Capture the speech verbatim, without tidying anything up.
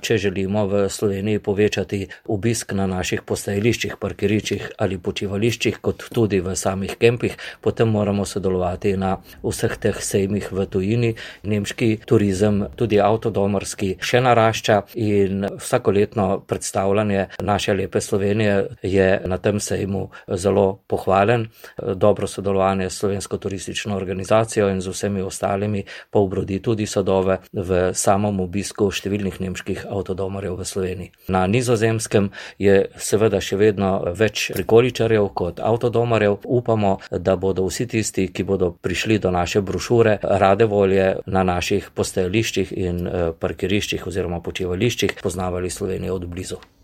če želimo v Sloveniji povečati obisk na naših postajališčih, parkiriščih ali počivališčih, kot tudi v samih kempih, potem moramo sodelovati na vseh teh sejmih v tujini. Nemški turizem, tudi avtodomarski, še narašča in vsakoletno predstavljanje naše lepe Slovenije je na tem sejmu zelo pohvalen. Dobro sodelovanje s Slovensko turistično organizacijo in z vsemi ostalimi pa obrodi tudi sadove v samem obisku številnih nemških avtodomarjev v Sloveniji. Na Nizozemskem je seveda še vedno več prikoličarjev kot avtodomarjev. Upamo, da bodo vsi tisti, ki bodo prišli do naše brošure, rade volje na naših postajališčih in parkiriščih oziroma počivališčih poznavali Slovenijo od blizu.